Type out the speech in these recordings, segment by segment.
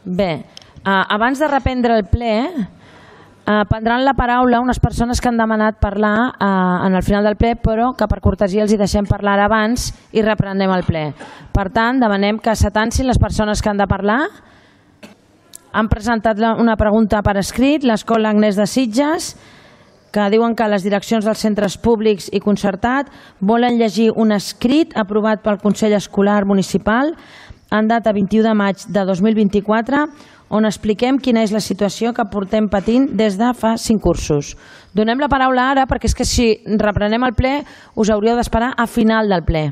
Bé, abans de reprendre el ple, prendran la paraula unes persones que han demanat parlar en el final del ple, però que per cortesia els hi deixem parlar abans i reprenem el ple. Per tant, demanem que s'atancin les persones que han de parlar. Han presentat una pregunta per escrit, l'Escola Agnès de Sitges, que diuen que les direccions dels centres públics i concertat volen llegir un escrit aprovat pel Consell Escolar Municipal en data 21 de maig de 2024, on expliquem quina és la situació que portem patint des de fa 5 cursos. Donem la paraula ara perquè és que si reprenem el ple us hauríeu d'esperar a final del ple.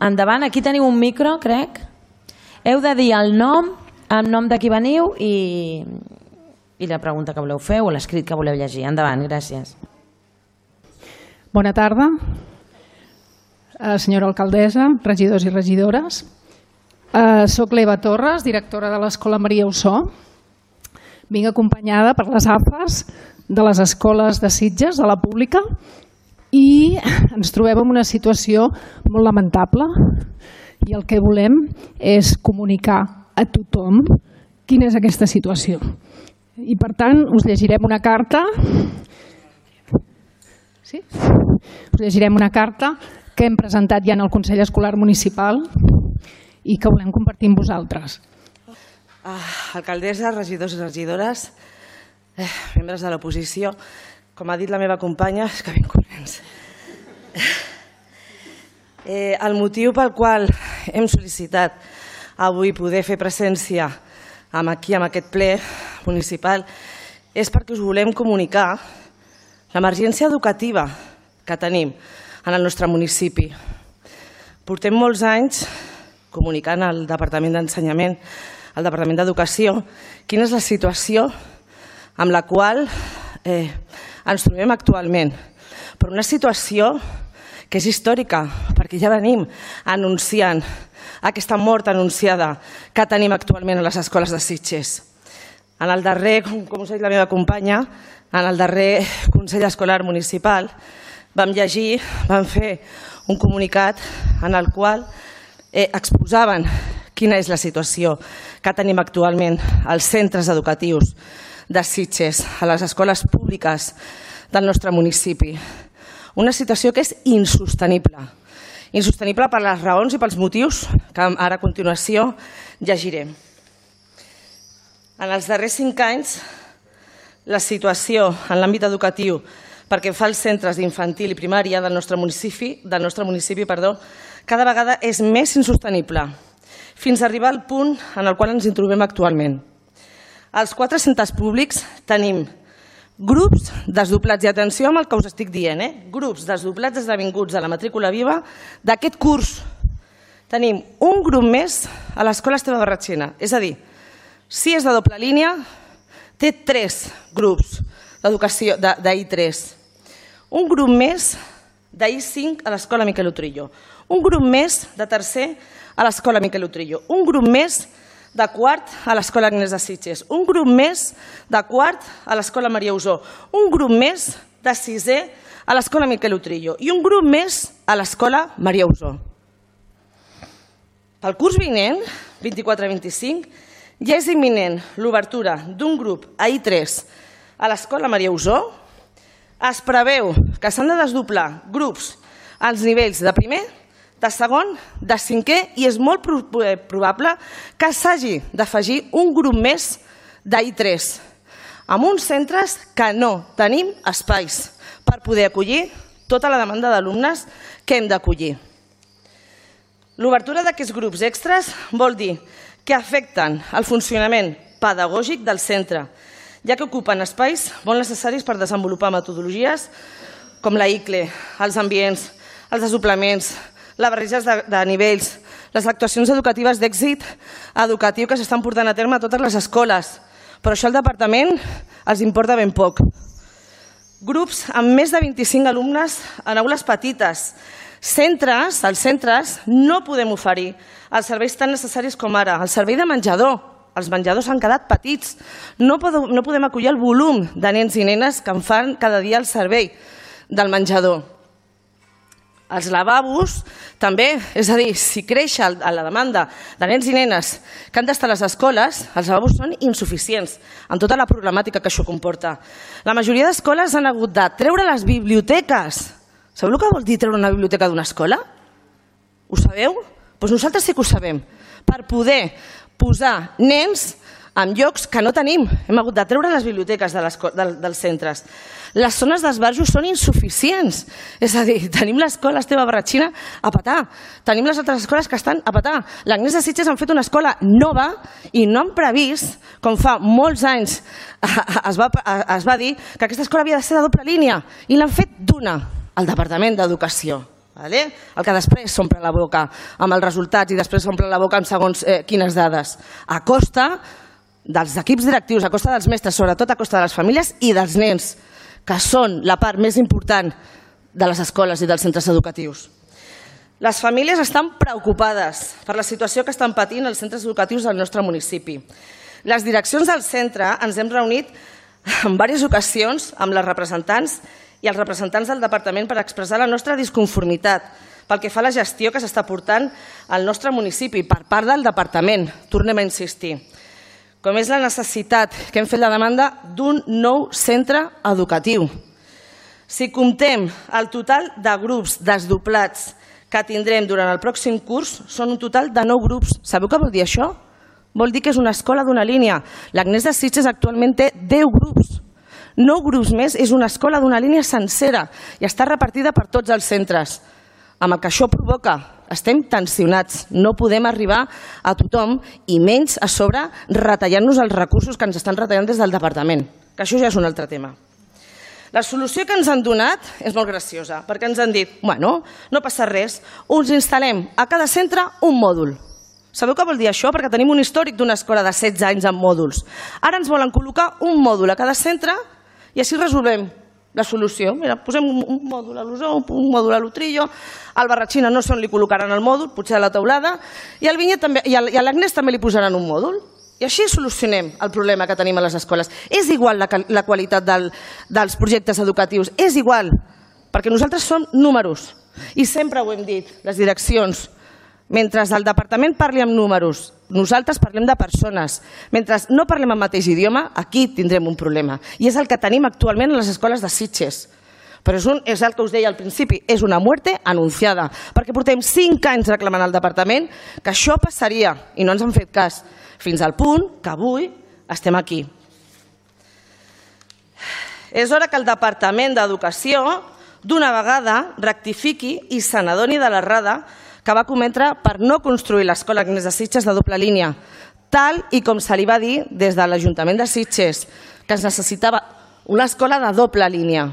Endavant, aquí teniu un micro, crec. Heu de dir el nom de qui veniu i la pregunta que voleu fer o l'escrit que voleu llegir. Endavant, gràcies. Bona tarda, senyora alcaldessa, regidors i regidores. Soc l'Eva Torres, directora de l'Escola Maria Ossó. Vinc acompanyada per les AFAs de les escoles de Sitges, de la pública, i ens trobem en una situació molt lamentable i el que volem és comunicar a tothom quina és aquesta situació. I per tant us llegirem una carta. Sí? Us llegirem una carta que hem presentat ja en el Consell Escolar Municipal i que volem compartir amb vosaltres. Alcaldessa, regidors i regidores, membres de l'oposició, com ha dit la meva companya, és que ben corrents. El motiu pel qual hem sol·licitat avui poder fer presència aquí, en aquest ple municipal, és perquè us volem comunicar l'emergència educativa que tenim en el nostre municipi. Portem molts anys comunicant al Departament d'Ensenyament, al Departament d'Educació, quina és la situació amb la qual ens trobem actualment. Però una situació que és històrica, perquè ja venim anunciant aquesta mort anunciada que tenim actualment a les escoles de Sitges. En el darrer, com us ha dit la meva companya, en el darrer Consell Escolar Municipal vam llegir, vam fer un comunicat en el qual exposaven quina és la situació que tenim actualment als centres educatius de Sitges, a les escoles públiques del nostre municipi. Una situació que és insostenible. Insostenible per les raons i pels motius que ara a continuació llegirem. En els darrers 5 anys, la situació en l'àmbit educatiu perquè fa els centres d'infantil i primària del nostre municipi, cada vegada és més insostenible, fins a arribar al punt en el qual ens trobem actualment. Als 4 centres públics tenim grups desdoblats, i atenció amb el que us estic dient, grups desdoblats esdevinguts a la matrícula viva d'aquest curs. Tenim un grup més a l'Escola Esteve Barratxina, és a dir, si és de doble línia, té 3 grups d'educació d'I3. Un grup més d'I5 a l'Escola Miquel Utrillo. Un grup més de tercer a l'Escola Miquel Utrillo. Un grup més de quart a l'Escola Agnès de Sitges. Un grup més de quart a l'Escola Maria Ossó. Un grup més de sisè a l'Escola Miquel Utrillo. I un grup més a l'Escola Maria Ossó. Pel curs vinent, 24-25, ja és imminent l'obertura d'un grup a I3 a l'Escola Maria Ossó. Es preveu que s'han de desdoblar grups als nivells de primer, de segon, de cinquè i és molt probable que s'hagi d'afegir un grup més d'I3 amb uns centres que no tenim espais per poder acollir tota la demanda d'alumnes que hem d'acollir. L'obertura d'aquests grups extras vol dir que afecten el funcionament pedagògic del centre, ja que ocupen espais molt necessaris per desenvolupar metodologies com la ICLE, els ambients, els desdoblaments, les barreges de nivells, les actuacions educatives d'èxit educatiu que s'estan portant a terme a totes les escoles. Però això al departament els importa ben poc. Grups amb més de 25 alumnes en aules petites. Als centres no podem oferir els serveis tan necessaris com ara el servei de menjador. Els menjadors han quedat petits. No podem acollir el volum de nens i nenes que en fan cada dia el servei del menjador. Els lavabos també, és a dir, si creix la demanda de nens i nenes que han d'estar a les escoles, els lavabos són insuficients amb tota la problemàtica que això comporta. La majoria d'escoles han hagut de treure les biblioteques. Sabeu el que vol dir treure una biblioteca d'una escola? Ho sabeu? Doncs nosaltres sí que ho sabem. Per poder posar nens en llocs que no tenim. Hem hagut de treure les biblioteques dels centres. Les zones d'esbarjo són insuficients. És a dir, tenim l'escola Esteve Barratxina a petar. Tenim les altres escoles que estan a petar. L'Agnès de Sitges han fet una escola nova i no han previst, com fa molts anys es va dir, que aquesta escola havia de ser de doble línia. I l'han fet d'una, al Departament d'Educació. El que després s'omple la boca amb els resultats i després s'omple la boca amb segons quines dades. A costa dels equips directius, a costa dels mestres, sobretot a costa de les famílies i dels nens, que són la part més important de les escoles i dels centres educatius. Les famílies estan preocupades per la situació que estan patint els centres educatius del nostre municipi. Les direccions del centre ens hem reunit en diverses ocasions amb les representants i els representants del departament per expressar la nostra disconformitat pel que fa a la gestió que s'està portant al nostre municipi per part del departament. Tornem a insistir. Com és la necessitat que hem fet la demanda d'un nou centre educatiu. Si comptem el total de grups desdoblats que tindrem durant el pròxim curs, són un total de 9 grups. Sabeu què vol dir això? Vol dir que és una escola d'una línia. L'Agnès de Sitges actualment té 10 grups. 9 grups més és una escola d'una línia sencera i està repartida per tots els centres. Amb el que això provoca, estem tensionats, no podem arribar a tothom i menys a sobre retallant-nos els recursos que ens estan retallant des del departament, que això ja és un altre tema. La solució que ens han donat és molt graciosa, perquè ens han dit, bueno, no passa res, us instal·lem a cada centre un mòdul. Sabeu què vol dir això? Perquè tenim un històric d'una escola de 16 anys amb mòduls. Ara ens volen col·locar un mòdul a cada centre i així resolvem la solució. Mira, posem un mòdul a l'Osó, un mòdul a l'Utrillo, al Barratxina no sé on li col·locaran el mòdul, potser a la Teulada, i al Vinyet també, i a l'Agnès també li posaran un mòdul. I així solucionem el problema que tenim a les escoles. És igual la qualitat dels projectes educatius, és igual, perquè nosaltres som números. I sempre ho hem dit, les direccions, mentre el departament parli amb números, nosaltres parlem de persones. Mentre no parlem el mateix idioma, aquí tindrem un problema. I és el que tenim actualment a les escoles de Sitges. Però és el que us deia al principi, és una muerte anunciada, perquè portem 5 anys reclamant al departament que això passaria i no ens han fet cas, fins al punt que avui estem aquí. És hora que el Departament d'Educació d'una vegada rectifiqui i se n'adoni de l'errada que va cometre per no construir l'escola Agnès de Sitges de doble línia, tal i com se li va dir des de l'Ajuntament de Sitges, que es necessitava una escola de doble línia.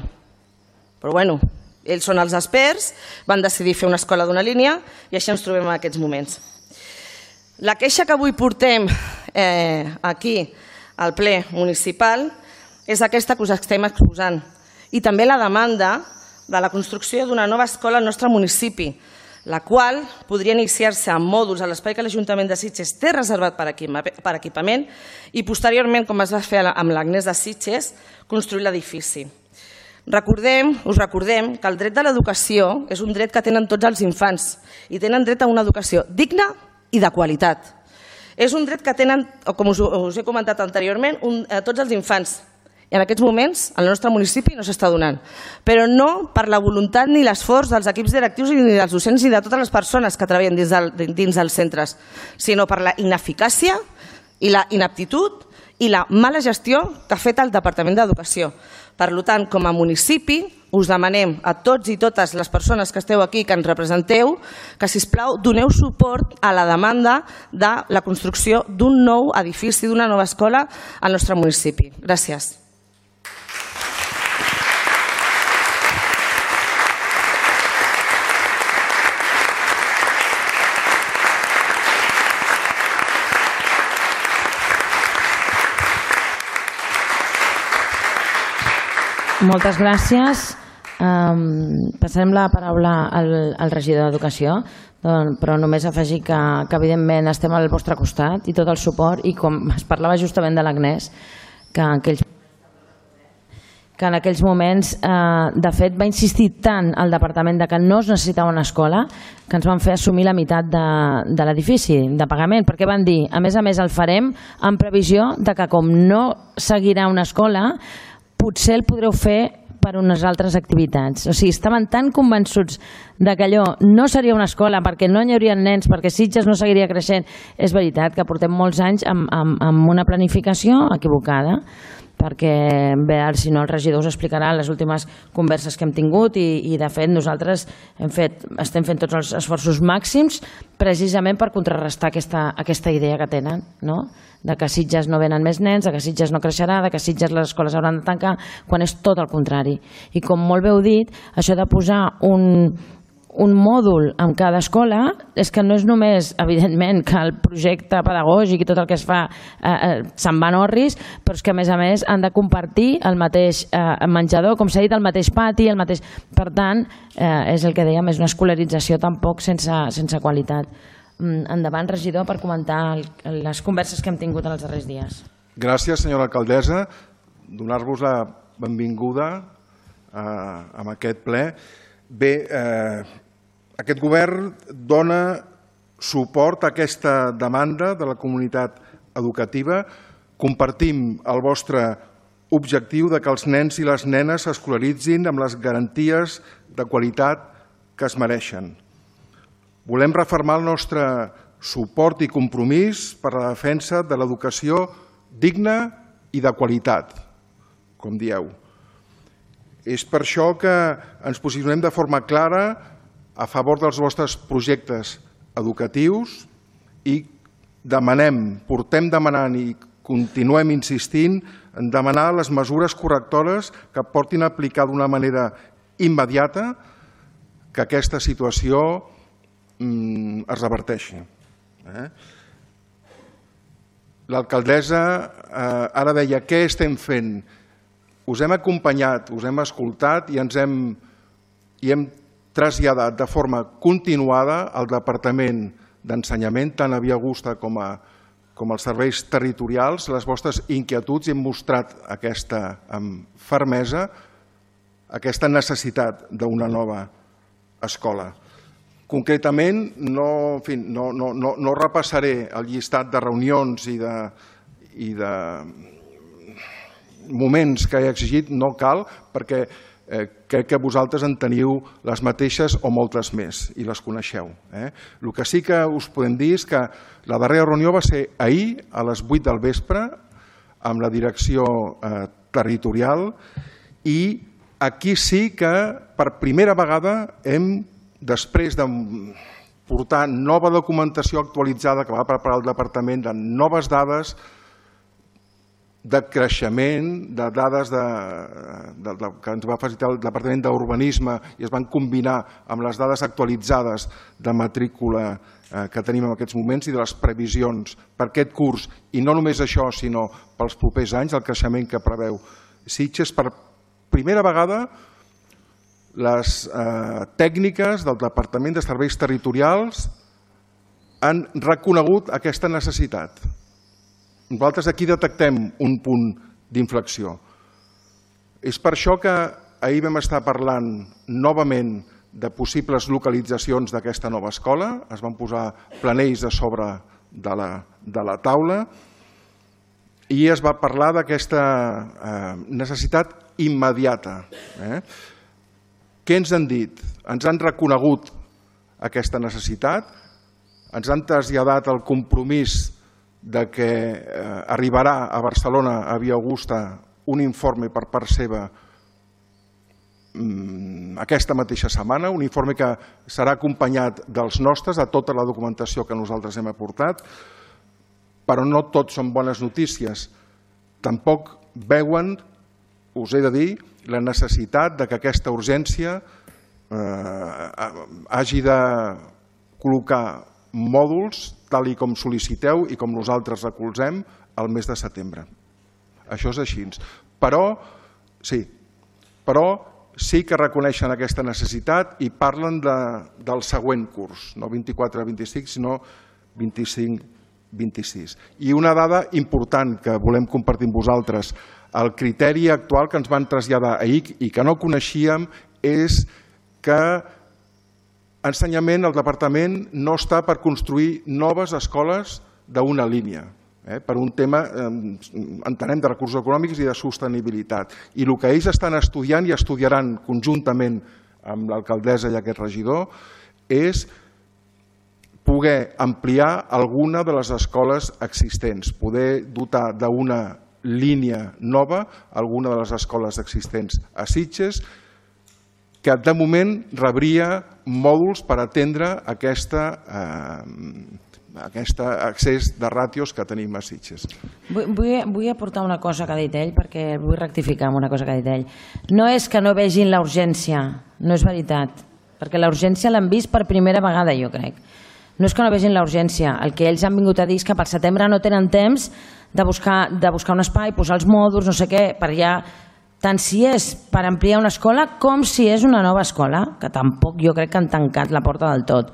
Però bueno, ells són els experts, van decidir fer una escola d'una línia i així ens trobem en aquests moments. La queixa que avui portem aquí al ple municipal és aquesta que us estem exposant i també la demanda de la construcció d'una nova escola al nostre municipi, la qual podria iniciar-se amb mòduls a l'espai que l'Ajuntament de Sitges té reservat per equipament i posteriorment, com es va fer amb l'Agnès de Sitges, construir l'edifici. Us recordem que el dret de l'educació és un dret que tenen tots els infants i tenen dret a una educació digna i de qualitat. És un dret que tenen, com us he comentat anteriorment, tots els infants. I en aquests moments al nostre municipi no s'està donant. Però no per la voluntat ni l'esforç dels equips directius ni dels docents ni de totes les persones que treballen dins dels centres, sinó per la ineficàcia i la inaptitud i la mala gestió que ha fet el Departament d'Educació. Per tant, com a municipi, us demanem a tots i totes les persones que esteu aquí, que ens representeu, que, sisplau, doneu suport a la demanda de la construcció d'un nou edifici, d'una nova escola al nostre municipi. Gràcies. Moltes gràcies. Passarem la paraula al regidor d'Educació, però només afegir que evidentment estem al vostre costat i tot el suport, i com es parlava justament de l'Agnès, que que en aquells moments, de fet, va insistir tant el departament que no es necessitava una escola que ens van fer assumir la meitat de l'edifici de pagament, perquè van dir, a més, el farem en previsió de que com no seguirà una escola, potser el podreu fer per unes altres activitats. O sigui, estaven tan convençuts de que allò no seria una escola perquè no hi haurien nens, perquè Sitges no seguiria creixent. És veritat que portem molts anys amb una planificació equivocada, perquè bé, si no el regidor us explicarà les últimes converses que hem tingut i de fet nosaltres estem fent tots els esforços màxims precisament per contrarrestar aquesta idea que tenen, no? De que a Sitges no venen més nens, de que Sitges no creixerà, de que a Sitges les escoles hauran de tancar, quan és tot el contrari. I com molt bé heu dit, això de posar un mòdul en cada escola és que no és només, evidentment, que el projecte pedagògic i tot el que es fa se'n van orris, però és que a més han de compartir el mateix menjador, com s'ha dit, el mateix pati, Per tant, és el que dèiem, és una escolarització tampoc sense qualitat. Endavant, regidor, per comentar les converses que hem tingut en els darrers dies. Gràcies, senyora alcaldessa. Donar-vos la benvinguda a aquest ple. Bé, aquest govern dona suport a aquesta demanda de la comunitat educativa. Compartim el vostre objectiu de que els nens i les nenes s'escolaritzin amb les garanties de qualitat que es mereixen. Volem refermar el nostre suport i compromís per la defensa de l'educació digna i de qualitat, com dieu. És per això que ens posicionem de forma clara a favor dels vostres projectes educatius i portem demanant i continuem insistint en demanar les mesures correctores que portin a aplicar d'una manera immediata que aquesta situació es reverteixi. L'alcaldessa ara deia què estem fent. Us hem acompanyat, us hem escoltat i hem traslladat de forma continuada al Departament d'Ensenyament, tant a Via Augusta com als serveis territorials, les vostres inquietuds i hem mostrat amb fermesa aquesta necessitat d'una nova escola. Concretament, no repassaré el llistat de reunions i de moments que he exigit, no cal, perquè crec que vosaltres en teniu les mateixes o moltes més i les coneixeu. El que sí que us podem dir és que la darrera reunió va ser ahir a les 8 del vespre amb la direcció territorial i aquí sí que per primera vegada després de portar nova documentació actualitzada que va preparar el departament de noves dades de creixement, de dades que ens va facilitar el Departament d'Urbanisme i es van combinar amb les dades actualitzades de matrícula que tenim en aquests moments i de les previsions per aquest curs, i no només això, sinó pels propers anys, el creixement que preveu Sitges. Per primera vegada, les tècniques del Departament de Serveis Territorials han reconegut aquesta necessitat. Nosaltres aquí detectem un punt d'inflexió. És per això que ahir vam estar parlant novament de possibles localitzacions d'aquesta nova escola. Es van posar planells a sobre de la taula i es va parlar d'aquesta necessitat immediata. Què ens han dit? Ens han reconegut aquesta necessitat, ens han traslladat el compromís de que arribarà a Barcelona, a Via Augusta, un informe per part seva aquesta mateixa setmana, un informe que serà acompanyat dels nostres, de tota la documentació que nosaltres hem aportat, però no tot són bones notícies. Tampoc veuen, us he de dir, la necessitat que aquesta urgència hagi de col·locar mòduls tal com sol·liciteu i com nosaltres recolzem al mes de setembre. Això és així. Però sí que reconeixen aquesta necessitat i parlen del següent curs, no 24-25, sinó 25-26. I una dada important que volem compartir amb vosaltres, El criteri actual que ens van traslladar ahir i que no coneixíem és que ensenyament, el departament no està per construir noves escoles d'una línia, per un tema, entenem, de recursos econòmics i de sostenibilitat. I el que ells estan estudiant i estudiaran conjuntament amb l'alcaldessa i aquest regidor és poder ampliar alguna de les escoles existents, poder dotar d'una línia nova alguna de les escoles existents a Sitges, que de moment rebria mòduls per atendre aquest accés de ràtios que tenim a Sitges. Vull aportar una cosa que ha dit ell, perquè vull rectificar amb una cosa que ha dit ell. No és que no vegin la urgència, no és veritat, perquè la urgència l'han vist per primera vegada, jo crec. No és que no vegin la urgència, el que ells han vingut a dir és que pel setembre no tenen temps de buscar un espai, posar els mòduls, no sé què, per ja... tant si és per ampliar una escola com si és una nova escola, que tampoc jo crec que han tancat la porta del tot.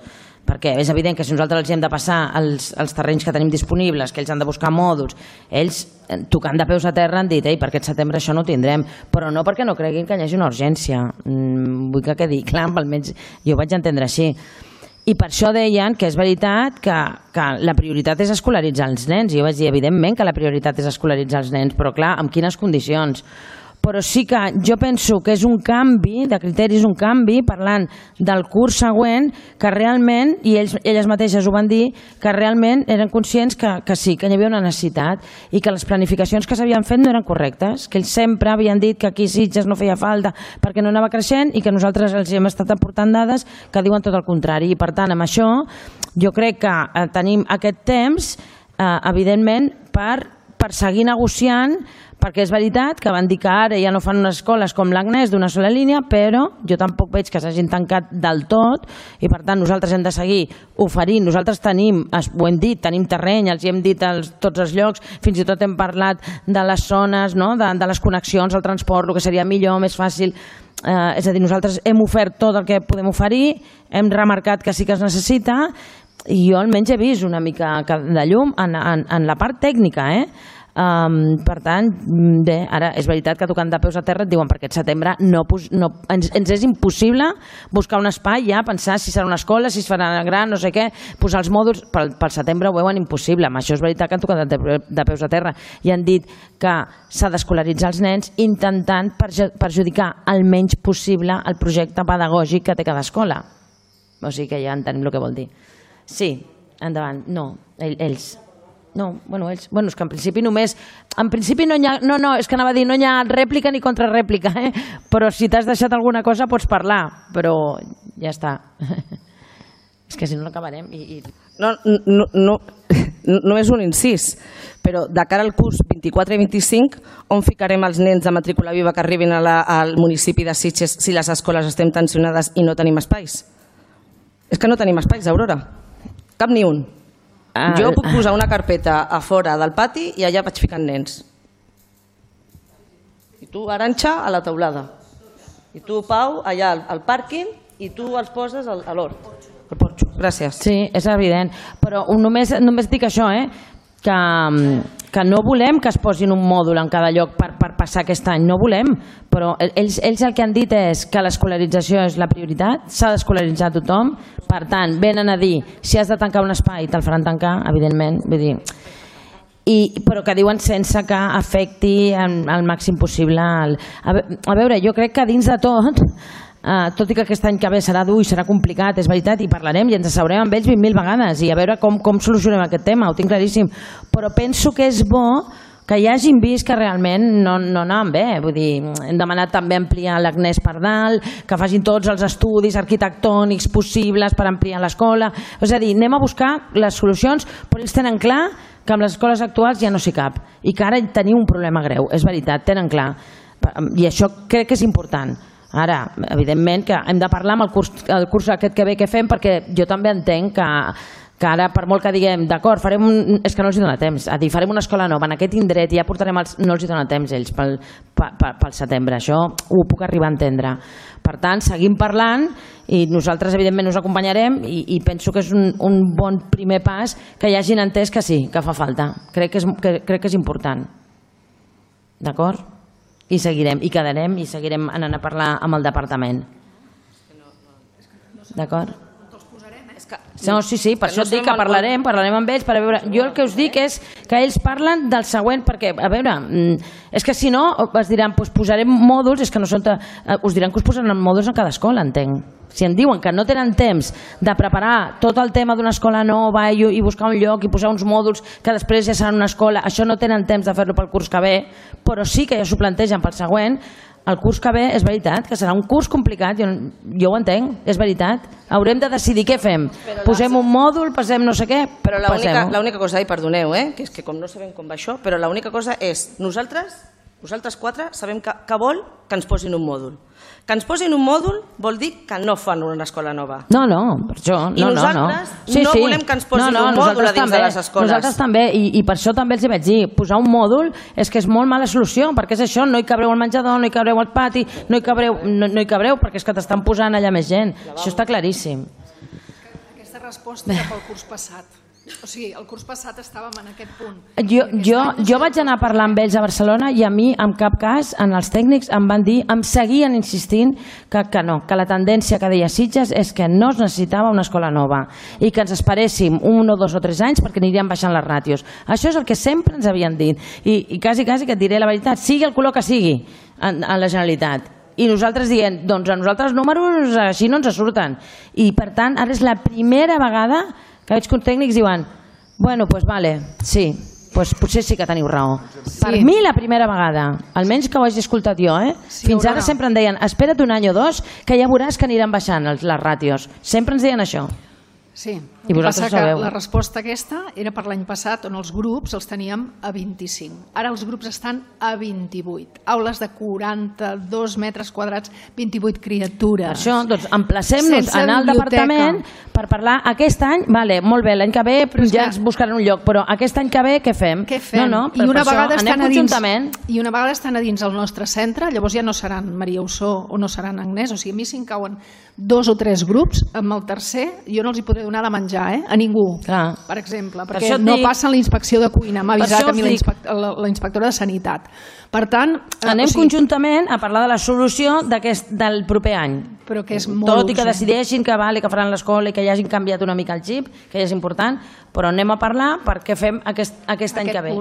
Perquè és evident que si nosaltres els hem de passar els terrenys que tenim disponibles, que ells han de buscar mòduls, ells, tocant de peus a terra, han dit per aquest setembre això no ho tindrem, però no perquè no creguin que hi hagi una urgència. Vull que quedi clar, almenys jo ho vaig entendre així. I per això deien que és veritat que la prioritat és escolaritzar els nens. Jo vaig dir, evidentment que la prioritat és escolaritzar els nens, però clar, amb quines condicions? Però sí que jo penso que és un canvi de criteris, un canvi, parlant del curs següent, que realment, i elles mateixes ho van dir, que realment eren conscients que sí, que hi havia una necessitat i que les planificacions que s'havien fet no eren correctes, que ells sempre havien dit que aquí Sitges no feia falta perquè no anava creixent i que nosaltres els hem estat aportant dades que diuen tot el contrari. I per tant, amb això, jo crec que tenim aquest temps, evidentment, per seguir negociant, perquè és veritat que van dir que ara ja no fan unes escoles com l'Agnès d'una sola línia, però jo tampoc veig que s'hagin tancat del tot i per tant nosaltres hem de seguir oferint. Nosaltres tenim, ho hem dit, tenim terreny, els hi hem dit tots els llocs, fins i tot hem parlat de les zones, de les connexions, el transport, el que seria millor, més fàcil. És a dir, nosaltres hem ofert tot el que podem oferir, hem remarcat que sí que es necessita i jo almenys he vist una mica de llum en la part tècnica, per tant, bé, ara és veritat que tocant de peus a terra et diuen per aquest setembre ens és impossible buscar un espai, ja pensar si serà una escola, si es farà gran, no sé què, posar els mòduls, pel setembre ho veuen impossible. Amb això és veritat que han tocat de peus a terra i han dit que s'ha d'escolaritzar els nens intentant perjudicar el menys possible el projecte pedagògic que té cada escola. O sigui que ja entenem el que vol dir. Sí, endavant. No, ells. No, bueno, ells... Bueno, és que en principi només... En principi no hi ha... No, és que anava a dir, no hi ha rèplica ni contrarèplica, però si t'has deixat alguna cosa pots parlar, però ja està. És que si no acabarem i... No és un incís, però de cara al curs 24 i 25, on ficarem els nens de matrícula viva que arribin al municipi de Sitges si les escoles estem tensionades i no tenim espais? És que no tenim espais, Aurora. Cap ni un. Jo puc posar una carpeta a fora del pati i allà vaig ficant nens. I tu, Arantxa, a la teulada. I tu, Pau, allà al pàrquing i tu els poses a l'hort. Al porxo. Gràcies. Sí, és evident. Però només dic això, que no volem que es posin un mòdul en cada lloc per passar aquest any, no volem, però ells el que han dit és que l'escolarització és la prioritat, s'ha d'escolaritzar tothom, per tant, venen a dir, si has de tancar un espai, te'l faran tancar, evidentment, vull dir, però que diuen sense que afecti al màxim possible. A veure, jo crec que dins de tot i que aquest any que ve serà dur i serà complicat, és veritat, i parlarem i ens asseurem amb ells 20.000 vegades i a veure com solucionem aquest tema, ho tinc claríssim, però penso que és bo que hi hagin vist que realment no anaven bé. Vull dir, hem demanat també ampliar l'Agnès per dalt, que facin tots els estudis arquitectònics possibles per ampliar l'escola. És a dir, anem a buscar les solucions, però ells tenen clar que amb les escoles actuals ja no s'hi cap i que ara tenim un problema greu, és veritat, tenen clar. I això crec que és important. Ara, evidentment que hem de parlar amb el curs aquest que ve que fem, perquè jo també entenc que ara, per molt que diguem, d'acord, és que no els dona temps, a dir, farem una escola nova en aquest indret i ja portarem no els dona temps ells pel setembre, això ho puc arribar a entendre. Per tant, seguim parlant i nosaltres evidentment us acompanyarem i penso que és un bon primer pas que hi hagin entès que sí, que fa falta. Crec que és important. D'acord? I seguirem, i quedarem, i seguirem anant a parlar amb el departament. D'acord? No, sí, per això et dic que parlarem amb ells per a veure... Jo el que us dic és que ells parlen del següent, perquè, a veure, és que si no es diran, doncs posarem mòduls, és que no són... Us diran que us posaran mòduls en cada escola, entenc. Si em diuen que no tenen temps de preparar tot el tema d'una escola nova i buscar un lloc i posar uns mòduls que després ja seran una escola, això no tenen temps de fer-lo pel curs que ve, però sí que ja s'ho plantegen pel següent. El curs que ve és veritat, que serà un curs complicat, jo ho entenc, és veritat. Haurem de decidir què fem. Posem un mòdul, passem no sé què, però l'única cosa, i perdoneu, que és que com no sabem com va això, però l'única cosa és, nosaltres 4 sabem que vol que ens posin un mòdul. Que ens posin un mòdul vol dir que no fan una escola nova. No, per això. I nosaltres no volem que ens posin un mòdul a dins de les escoles. Nosaltres també, i per això també els hi vaig dir, posar un mòdul és que és molt mala solució, perquè és això, no hi cabreu al menjador, no hi cabreu al pati, no hi cabreu perquè és que t'estan posant allà més gent. Això està claríssim. Aquesta resposta era pel curs passat. O sigui, el curs passat estàvem en aquest punt. Jo vaig anar a parlar amb ells a Barcelona i a mi, en cap cas, en els tècnics em van dir, em seguien insistint que no, que la tendència que deia Sitges és que no es necessitava una escola nova i que ens esperéssim 1 o 2 o 3 anys perquè anirien baixant les ràtios. Això és el que sempre ens havien dit. I quasi que et diré la veritat, sigui el color que sigui en la Generalitat. I nosaltres dient, doncs a nosaltres números així no ens surten. I per tant, ara és la primera vegada que veig que uns tècnics diuen, bueno, doncs vale, sí, doncs potser sí que teniu raó. Per mi la primera vegada, almenys que ho hagi escoltat jo, fins ara sempre em deien, espera't un any o dos que ja veuràs que aniran baixant les ràtios. Sempre ens deien això. Sí, i vosaltres ho sabeu. La resposta aquesta era per l'any passat on els grups els teníem a 25. Ara els grups estan a 28. Aules de 42 metres quadrats, 28 criatures. Per això, doncs, emplacem-nos a anar al departament per parlar aquest any, vale, molt bé, l'any que ve ja ens buscaran un lloc, però aquest any que ve què fem? Què fem? I una vegada estan a dins el nostre centre, llavors ja no seran Maria Ossó o no seran Agnès, o sigui, a mi si em cauen 2 o 3 grups, amb el tercer jo no els hi podré donar de menjar, a ningú, per exemple, perquè no passen la inspecció de cuina, m'ha avisat a mi la inspectora de Sanitat. Per tant... Anem conjuntament a parlar de la solució del proper any. Però que és molt tot i que decideixin que faran l'escola i que ja hagin canviat una mica el xip, que ja és important, però anem a parlar per què fem aquest any que ve.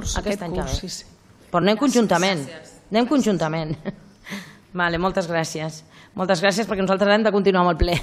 Però anem conjuntament. Moltes gràcies. Moltes gràcies perquè nosaltres hem de continuar amb el ple.